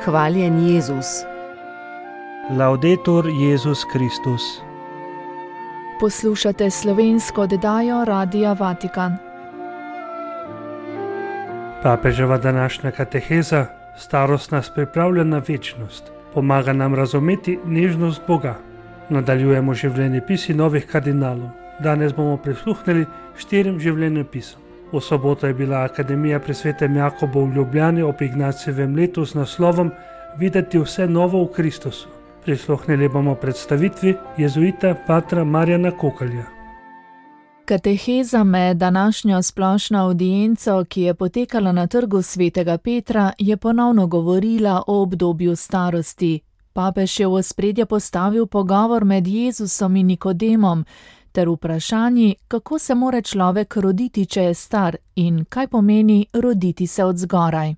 Hvaljen Jezus. Laudetur Jezus Kristus. Poslušate slovensko oddajo Radia Vatikan. Papeževa današnja kateheza: starost nas pripravlja na večnost, pomaga nam razumeti nežnost Boga. Nadaljujemo življenjepisi novih kardinalov. Danes bomo prisluhnili 4 življenjepisom. V soboto je bila Akademija pri Svetem Jakobu v Ljubljani ob Ignacijevem letu z naslovom Videti vse novo v Kristusu. Prisluhnili bomo predstavitvi jezuita patra Marjana Kokalja. Kateheza med današnjo splošno avdienco, ki je potekala na trgu Svetega Petra, je ponovno govorila o obdobju starosti. Papež je v ospredje postavil pogovor med Jezusom in Nikodemom ter vprašanji, kako se mora človek roditi, če je star, in kaj pomeni roditi se od zgoraj.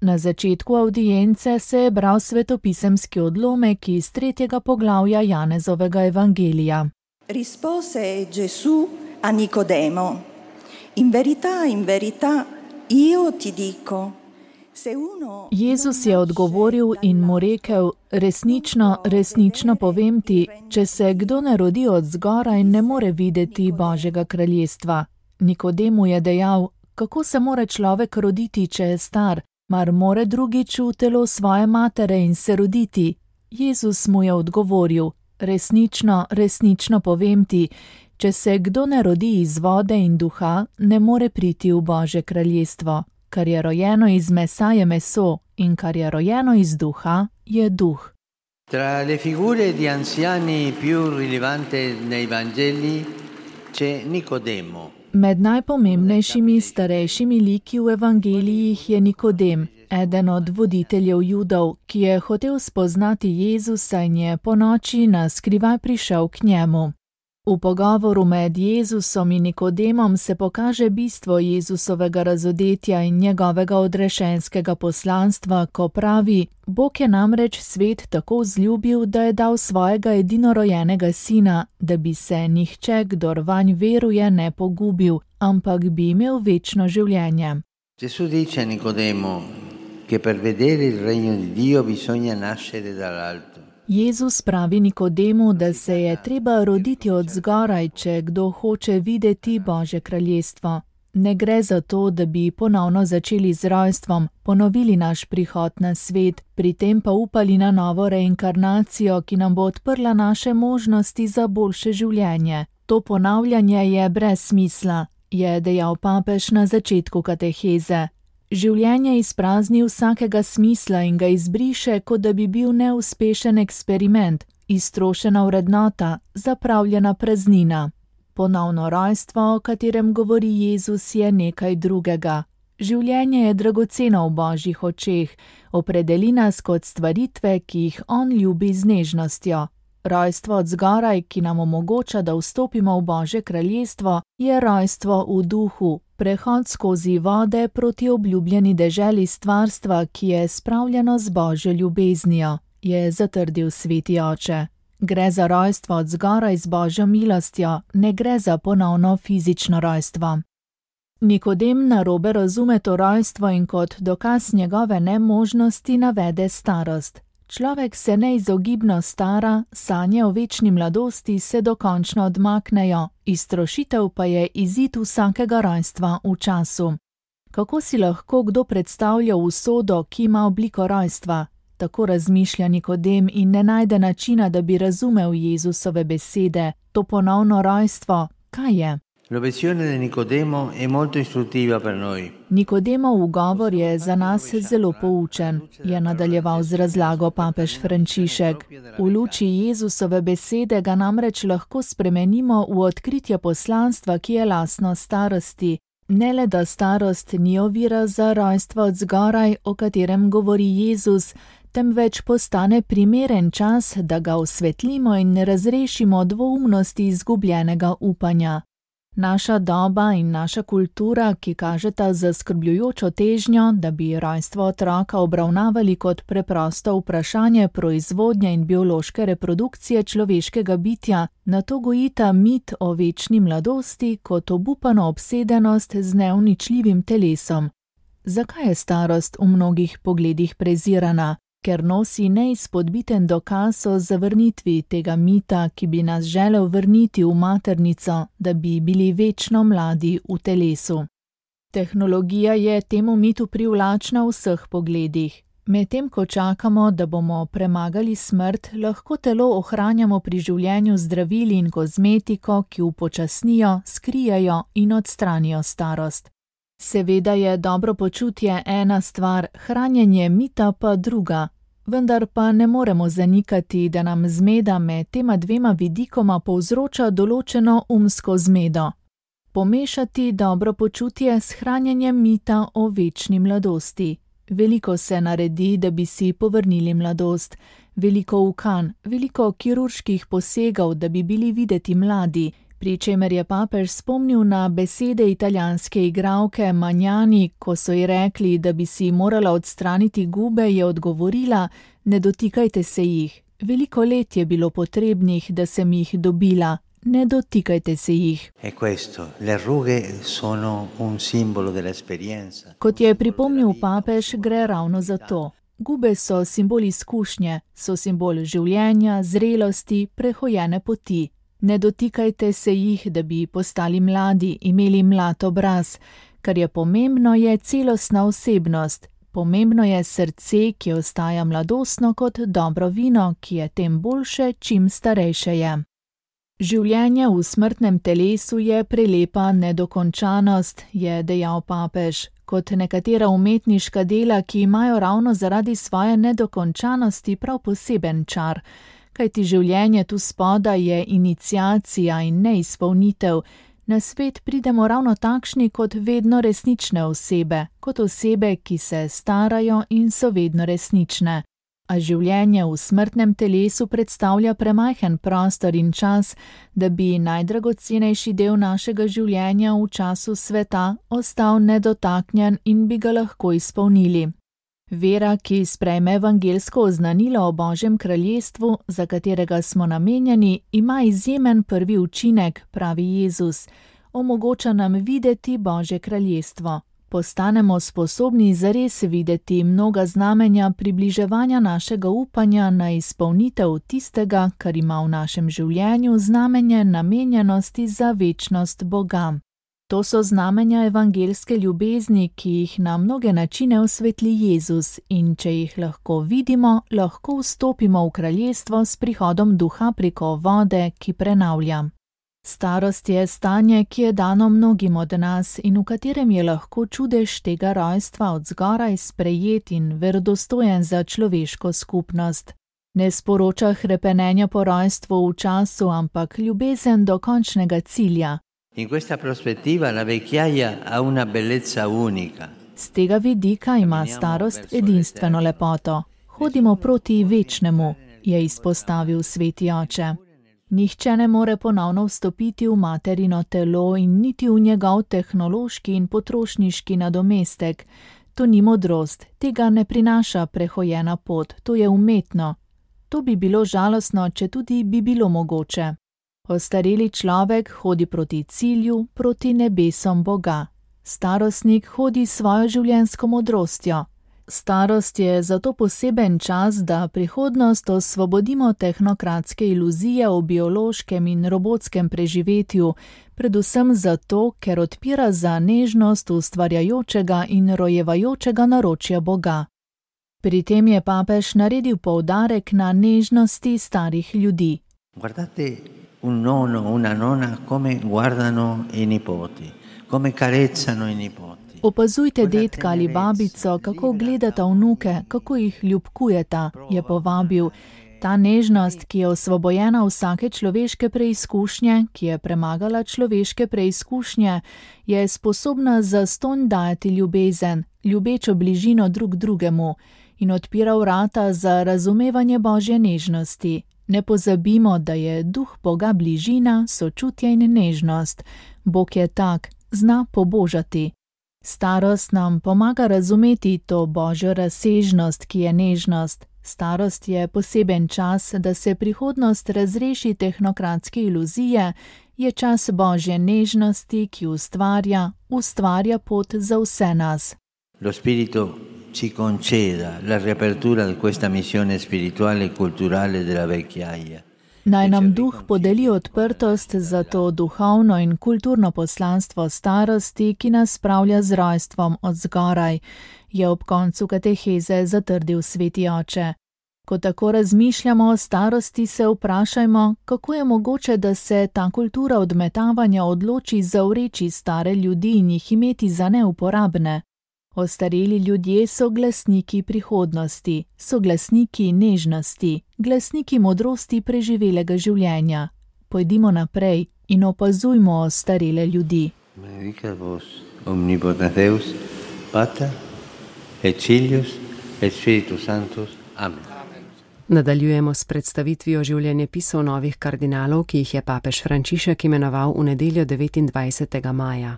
Na začetku avdience se je bral svetopisemski odlomek iz 3. poglavja Janezovega evangelija. Rispose Gesù a Nicodemo: in verità, io ti dico. Jezus je odgovoril in mu rekel: resnično povem ti, če se kdo ne rodi od zgoraj, ne more videti Božjega kraljestva. Nikodemu je dejal: kako se mora človek roditi, če je star? Mar more drugič v telo svoje matere in se roditi? Jezus mu je odgovoril: resnično povem ti, če se kdo ne rodi iz vode in duha, ne more priti v Božje kraljestvo. Kar je rojeno iz mesa je meso in kar je rojeno iz duha je duh. Tra le figure di anziani più rilevante nei Vangeli c'è Nicodemo. Med najpomembnejšimi starejšimi liki v evangelijih je Nikodem, eden od voditeljev Judov, ki je hotel spoznati Jezusa in je ponoči na skrivaj prišel k njemu. V pogovoru med Jezusom in Nikodemom se pokaže bistvo Jezusovega razodetja in njegovega odrešenskega poslanstva, ko pravi: Bog je namreč svet tako vzljubil, da je dal svojega edinorojenega sina, da bi se nihče, kdor vanj veruje, ne pogubil, ampak bi imel večno življenje. Gesù dice a Nicodemo che per vedere il regno di Dio bisogna nascere dall'alto. Jezus pravi Nikodemu, da se je treba roditi od zgoraj, če kdo hoče videti Božje kraljestvo. Ne gre za to, da bi ponovno začeli z rojstvom, ponovili naš prihod na svet, pri tem pa upali na novo reinkarnacijo, ki nam bo odprla naše možnosti za boljše življenje. To ponavljanje je brez smisla, je dejal papež na začetku kateheze. Življenje izprazni vsakega smisla in ga izbriše, kot da bi bil neuspešen eksperiment, iztrošena vrednota, zapravljena praznina. Ponovno rojstvo, o katerem govori Jezus, je nekaj drugega. Življenje je dragoceno v Božjih očeh, opredeli nas kot stvaritve, ki jih on ljubi z nežnostjo. Rojstvo od zgoraj, ki nam omogoča, da vstopimo v Božje kraljestvo, je rojstvo v duhu, prehod skozi vode proti obljubljeni deželi stvarstva, ki je spravljeno z Božjo ljubeznijo, je zatrdil sveti oče. Gre za rojstvo od zgoraj z Božjo milostjo, ne gre za ponovno fizično rojstvo. Nikodem narobe razume to rojstvo in kot dokaz njegove nemožnosti navede starost. Človek se neizogibno stara, sanje o večni mladosti se dokončno odmaknejo, iztrošitev pa je izid vsakega rojstva v času. Kako si lahko kdo predstavlja usodo, ki ima obliko rojstva? Tako razmišlja Nikodem in ne najde načina, da bi razumel Jezusove besede. To ponovno rojstvo, kaj je? L'obiezione di Nicodemo è molto istruttiva per noi. Nikodemov ugovor je za nas zelo poučen, je nadaljeval z razlago papež Frančišek. V luči Jezusove besede ga namreč lahko spremenimo v odkritje poslanstva, ki je lastno starosti. Ne le, da starost ni ovira za rojstvo od zgoraj, o katerem govori Jezus, temveč postane primeren čas, da ga osvetlimo in razrešimo dvoumnosti izgubljenega upanja. Naša doba in naša kultura, ki kažeta zaskrbljujočo težnjo, da bi rojstvo otroka obravnavali kot preprosto vprašanje proizvodnje in biološke reprodukcije človeškega bitja, nato gojita mit o večni mladosti kot obupano obsedenost z neuničljivim telesom. Zakaj je starost v mnogih pogledih prezirana? ker nosi neizpodbiten dokaz o zavrnitvi tega mita, ki bi nas želel vrniti v maternico, da bi bili večno mladi v telesu. Tehnologija je temu mitu privlačna v vseh pogledih. Medtem ko čakamo, da bomo premagali smrt, lahko telo ohranjamo pri življenju z zdravili in kozmetiko, ki upočasnijo, skrijejo in odstranijo starost. Seveda je dobro počutje ena stvar, hranjenje mita pa druga, vendar pa ne moremo zanikati, da nam zmeda med tema dvema vidikoma povzroča določeno umsko zmedo. Pomešati dobro počutje s hranjenjem mita o večni mladosti. Veliko se naredi, da bi si povrnili mladost, veliko ukan, veliko kirurških posegov, da bi bili videti mladi, pri čemer je papež spomnil na besede italijanske igralke Magnani, ko so ji rekli, da bi si morala odstraniti gube, je odgovorila: ne dotikajte se jih. Veliko let je bilo potrebnih, da sem jih dobila. Ne dotikajte se jih. Kot je pripomnil papež, gre ravno za to. Gube so simbol izkušnje, so simbol življenja, zrelosti, prehojene poti. Ne dotikajte se jih, da bi postali mladi, imeli mlad obraz. Kar je pomembno, je celostna osebnost. Pomembno je srce, ki ostaja mladostno kot dobro vino, ki je tem boljše, čim starejše je. Življenje v smrtnem telesu je prelepa nedokončanost, je dejal papež, kot nekatera umetniška dela, ki imajo ravno zaradi svoje nedokončanosti prav poseben čar, kajti življenje tu spodaj je iniciacija in neizpolnitev. Na svet pridemo ravno takšni kot vedno resnične osebe, kot osebe, ki se starajo in so vedno resnične. A življenje v smrtnem telesu predstavlja premajhen prostor in čas, da bi najdragocenejši del našega življenja v času sveta ostal nedotaknjen in bi ga lahko izpolnili. Vera, ki sprejme evangelsko oznanilo o Božjem kraljestvu, za katerega smo namenjeni, ima izjemen prvi učinek, pravi Jezus. Omogoča nam videti Božje kraljestvo. Postanemo sposobni zares videti mnoga znamenja približevanja našega upanja na izpolnitev tistega, kar ima v našem življenju znamenje namenjenosti za večnost Boga. To so znamenja evangelske ljubezni, ki jih na mnoge načine osvetli Jezus, in če jih lahko vidimo, lahko vstopimo v kraljestvo s prihodom duha preko vode, ki prenavlja. Starost je stanje, ki je dano mnogim od nas in v katerem je lahko čudež tega rojstva od zgoraj sprejet in verodostojen za človeško skupnost. Ne sporoča hrepenenja po rojstvu v času, ampak ljubezen do končnega cilja. In questa prospettiva la vecchiaia ha una bellezza unica. Z tega vidika ima starost edinstveno lepoto. Hodimo proti večnemu, je izpostavil sveti oče. Nihče ne more ponovno vstopiti v materino telo in niti v njegov tehnološki in potrošniški nadomestek. To ni modrost, tega ne prinaša prehojena pot, to je umetno. To bi bilo žalostno, če tudi bi bilo mogoče. Ostareli človek hodi proti cilju, proti nebesom Boga. Starostnik hodi svojo življenjsko modrostjo. Starost je zato poseben čas, da prihodnost osvobodimo tehnokratske iluzije o biološkem in robotskem preživetju, predvsem zato, ker odpira za nežnost ustvarjajočega in rojevajočega naročja Boga. Pri tem je papež naredil poudarek na nežnosti starih ljudi. Guardate un nonno, una nonna, come guardano i nipoti, come carezzano i nipoti. Opazujte dedka ali babico, kako gledata vnuke, kako jih ljubkujeta, je povabil. Ta nežnost, ki je osvobojena vsake človeške preizkušnje, ki je premagala človeške preizkušnje, je sposobna zastonj dajati ljubezen, ljubečo bližino drug drugemu in odpira vrata za razumevanje Božje nežnosti. Ne pozabimo, da je duh Boga bližina, sočutje in nežnost. Bog je tak, zna pobožati. Starost nam pomaga razumeti to Božjo razsežnost, ki je nežnost. Starost je poseben čas, da se prihodnost razreši tehnokratske iluzije, je čas Božje nežnosti, ki ustvarja pot za vse nas. Lo spirito ci conceda la riapertura di questa missione spirituale e culturale della vecchiaia. Naj nam duh podeli odprtost za to duhovno in kulturno poslanstvo starosti, ki nas spravlja z rojstvom od zgoraj, je ob koncu kateheze zatrdil sveti oče. Ko tako razmišljamo o starosti, se vprašajmo, kako je mogoče, da se ta kultura odmetavanja odloči zavreči stare ljudi in jih imeti za neuporabne. Ostareli ljudje so glasniki prihodnosti, so glasniki nežnosti, glasniki modrosti preživelega življenja. Pojdimo naprej in opazujmo ostarele ljudi. Benedicat vos omnipotens Deus, Pater et Filius et Spiritus Sanctus. Amen. Nadaljujemo s predstavitvijo življenjepisov novih kardinalov, ki jih je papež Frančišek imenoval v nedeljo 29. maja.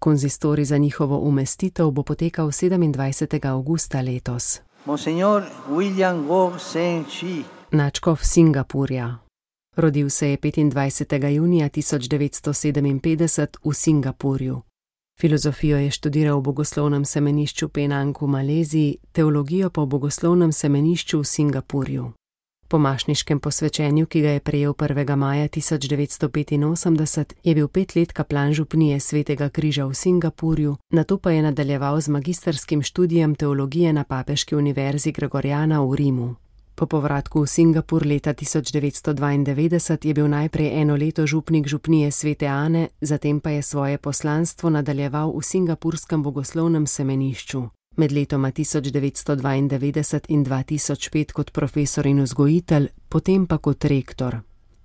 Konzistorij za njihovo umestitev bo potekal 27. avgusta letos. Monsignor William Go Sen-chi, Nadškof Singapurja. Rodil se je 25. junija 1957 v Singapurju. Filozofijo je študiral v bogoslovnem semenišču Penang v Maleziji, teologijo pa v bogoslovnem semenišču v Singapurju. Po mašniškem posvečenju, ki ga je prejel 1. maja 1985, je bil 5 let kaplan župnije Svetega križa v Singapurju, nato pa je nadaljeval z magisterskim študijem teologije na Papeški univerzi Gregoriana v Rimu. Po povratku v Singapur leta 1992 je bil najprej 1 leto župnik župnije Svete Ane, zatem pa je svoje poslanstvo nadaljeval v singapurskem bogoslovnem semenišču. Med letoma 1992 in 2005 kot profesor in vzgojitelj, potem pa kot rektor.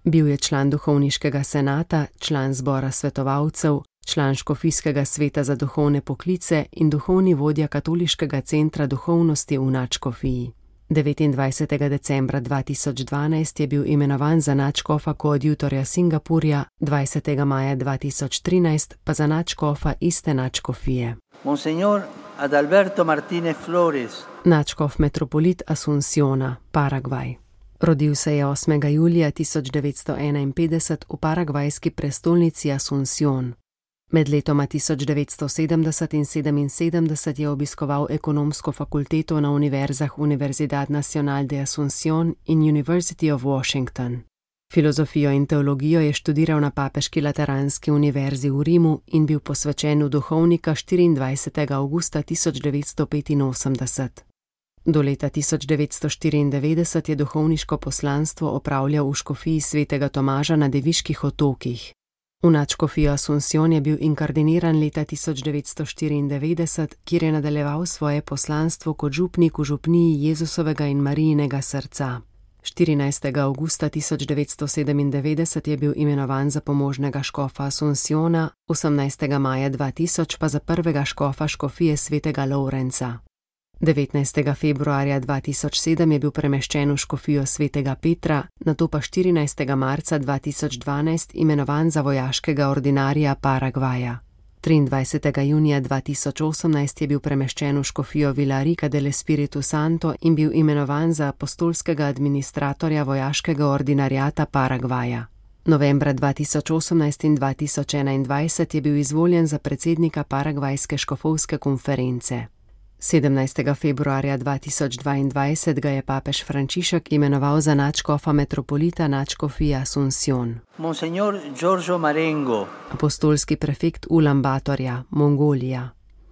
Bil je član duhovniškega senata, član zbora svetovalcev, član škofijskega sveta za duhovne poklice in duhovni vodja katoliškega centra duhovnosti v nadškofiji. 29. decembra 2012 je bil imenovan za nadškofa koadjutorja Singapurja, 20. maja 2013 pa za nadškofa iste nadškofije. Monsignor Adalberto Martinez Flores, Nadškof metropolit Asunciona, Paragvaj. Rodil se je 8. julija 1951 v paragvajski prestolnici Asuncion. Med letoma 1970 in 1977 je obiskoval ekonomsko fakulteto na univerzah Universidad Nacional de Asunción in University of Washington. Filozofijo in teologijo je študiral na Papeški lateranski univerzi v Rimu in bil posvečen v duhovnika 24. avgusta 1985. Do leta 1994 je duhovniško poslanstvo opravljal v škofiji Svetega Tomaža na Deviških otokih. V nadškofijo Asuncion je bil inkardiniran leta 1994, kjer je nadaljeval svoje poslanstvo kot župnik v župniji Jezusovega in Marijinega srca. 14. avgusta 1997 je bil imenovan za pomožnega škofa Asunciona, 18. maja 2000 pa za prvega škofa škofije Svetega Lovrenca. 19. februarja 2007 je bil premeščen v škofijo Svetega Petra, nato pa 14. marca 2012 imenovan za vojaškega ordinarija Paragvaja. 23. junija 2018 je bil premeščen v škofijo Villarica del Espiritu Santo in bil imenovan za apostolskega administratorja vojaškega ordinariata Paragvaja. Novembra 2018 in 2021 je bil izvoljen za predsednika Paragvajske škofovske konference. 17. februarja 2022 ga je papež Frančišek imenoval za nadškofa metropolita nadškofije Asuncion. Monsignor Giorgio Marengo, Apostolski prefekt Ulaanbaatarja, Mongolija.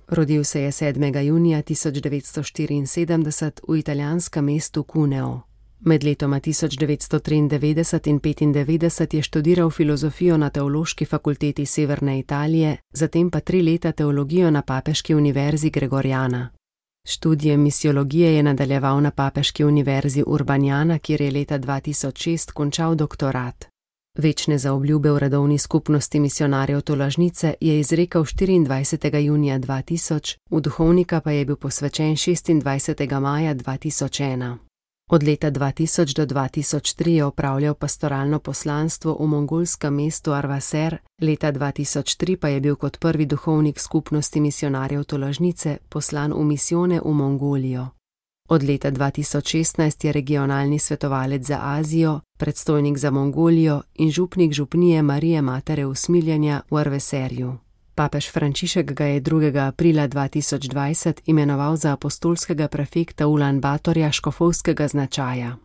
Rodil se je 7. junija 1974 v italijanskem mestu Cuneo. Med letoma 1993 in 1995 je študiral filozofijo na Teološki fakulteti Severne Italije, zatem pa 3 leta teologijo na Papeški univerzi Gregoriana. Študije misiologije je nadaljeval na Papeški univerzi Urbaniana, kjer je leta 2006 končal doktorat. Večne zaobljube v redovni skupnosti misionarjev Tolažnice je izrekel 24. junija 2000, v duhovnika pa je bil posvečen 26. maja 2001. Od leta 2000 do 2003 je opravljal pastoralno poslanstvo v mongolskem mestu Arvaser, leta 2003 pa je bil kot prvi duhovnik skupnosti misionarjev Tolažnice poslan v misijone v Mongolijo. Od leta 2016 je regionalni svetovalec za Azijo, predstojnik za Mongolijo in župnik župnije Marije Matere Usmiljenja v Arveserju. Papež Frančišek ga je 2. aprila 2020 imenoval za apostolskega prefekta Ulan-Batorja škofovskega značaja.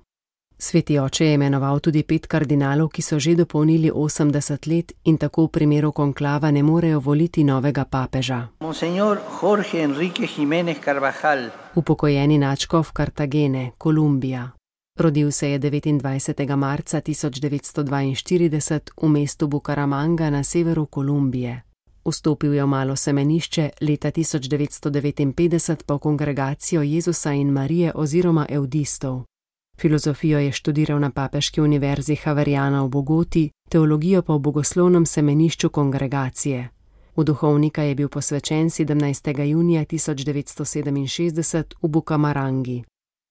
Sveti oče je imenoval tudi 5 kardinalov, ki so že dopolnili 80 let in tako v primeru konklava ne morejo voliti novega papeža. Monsignor Jorge Enrique Jiménez Carvajal, Upokojeni nadškof Kartagene, Kolumbija. Rodil se je 29. marca 1942 v mestu Bucaramanga na severu Kolumbije. Vstopil je v malo semenišče, leta 1959 pa v kongregacijo Jezusa in Marije oziroma eudistov. Filozofijo je študiral na Papeški univerzi Javeriana v Bogoti, teologijo pa v bogoslovnem semenišču kongregacije. V duhovnika je bil posvečen 17. junija 1967 v Bucamarangi.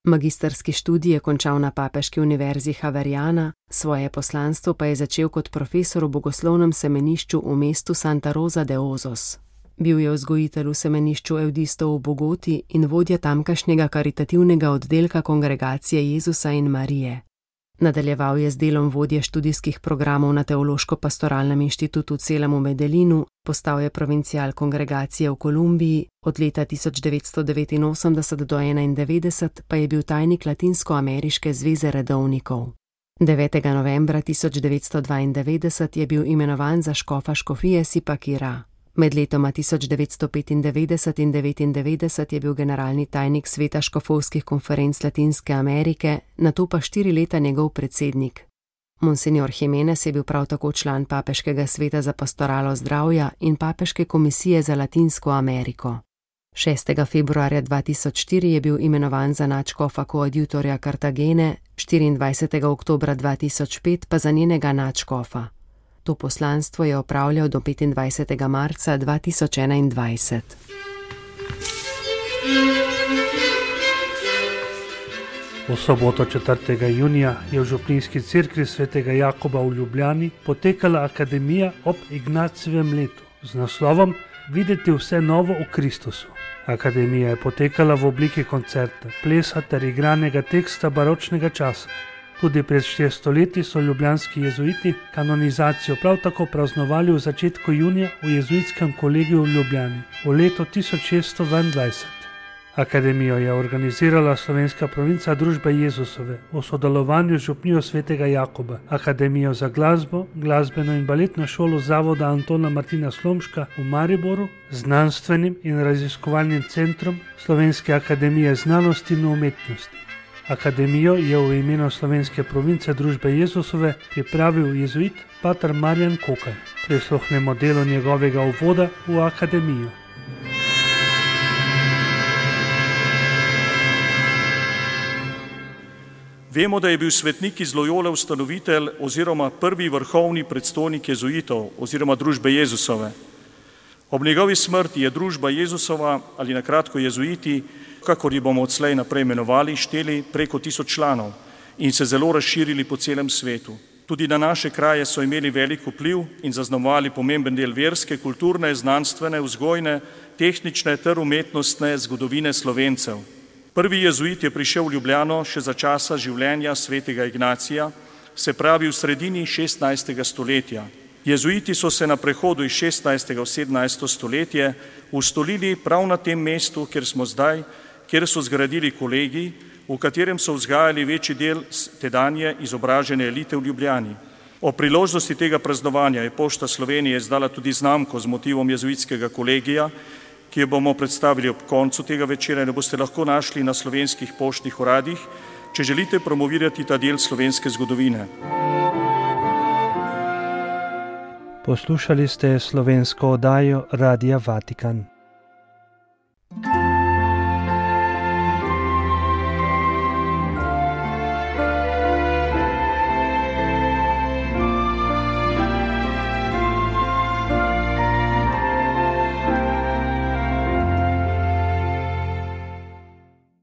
Magistrski študij je končal na Papeški univerzi Javeriana, svoje poslanstvo pa je začel kot profesor v bogoslovnem semenišču v mestu Santa Rosa de Osos. Bil je vzgojitelj v semenišču eudistov v Bogoti in vodja tamkajšnjega karitativnega oddelka kongregacije Jezusa in Marije. Nadaljeval je z delom vodje študijskih programov na Teološko-pastoralnem inštitutu Celem v Medellinu, postal je provincial kongregacije v Kolumbiji, od leta 1989 do 1991 pa je bil tajnik Latinsko-ameriške zveze redovnikov. 9. novembra 1992 je bil imenovan za škofa škofije Zipaquirá. Med letoma 1995 in 1999 je bil generalni tajnik Sveta škofovskih konferenc Latinske Amerike, nato pa 4 leta njegov predsednik. Monsignor Jiménez je bil prav tako član Papeškega sveta za pastoralo zdravja in Papeške komisije za Latinsko Ameriko. 6. februarja 2004 je bil imenovan za nadškofa koadjutorja Kartagene, 24. oktobra 2005 pa za njenega nadškofa. To poslanstvo je opravljal do 25. marca 2021. V soboto 4. junija je v Župnijski cerkvi svetega Jakoba v Ljubljani potekala akademija ob Ignacijevem letu z naslovom Videti vse novo v Kristusu. Akademija je potekala v obliki koncerta, plesa ter igranega teksta baročnega časa. Tudi pred 400 leti so ljubljanski jezuiti kanonizacijo prav tako praznovali v začetku junija v jezuitskem kolegiju v Ljubljani v letu 1622. Akademijo je organizirala slovenska provinca Družbe Jezusove v sodelovanju z župnijo svetega Jakoba, Akademijo za glasbo, glasbeno in baletno šolo Zavoda Antona Martina Slomška v Mariboru, znanstvenim in raziskovalnim centrom Slovenske akademije znanosti in umetnosti. Akademijo je v imenu slovenske province Družbe Jezusove pripravil jezuit pater Marjan Kokaj. Prisluhnemo delu njegovega uvoda v akademijo. Vemo, da je bil svetnik iz Lojole ustanovitelj oziroma prvi vrhovni predstojnik jezuitov oziroma Družbe Jezusove. Ob njegovi smrti je Družba Jezusova ali na kratko jezuiti, kakor ji bomo odslej naprej imenovali, šteli preko 1000 članov in se zelo razširili po celem svetu. Tudi na naše kraje so imeli velik vpliv in zaznamovali pomemben del verske, kulturne, znanstvene, vzgojne, tehnične ter umetnostne zgodovine Slovencev. Prvi jezuit je prišel v Ljubljano še za časa življenja svetega Ignacija, se pravi v sredini 16. stoletja. Jezuiti so se na prehodu iz 16. v 17. stoletje ustolili prav na tem mestu, kjer smo zdaj, kjer so zgradili kolegij, v katerem so vzgajali večji del tedanje izobražene elite v Ljubljani. O priložnosti tega praznovanja je Pošta Slovenije izdala tudi znamko z motivom jezuitskega kolegija, ki jo bomo predstavili ob koncu tega večera in jo boste lahko našli na slovenskih poštnih uradih, če želite promovirati ta del slovenske zgodovine. Poslušali ste slovensko oddajo Radia Vatikan.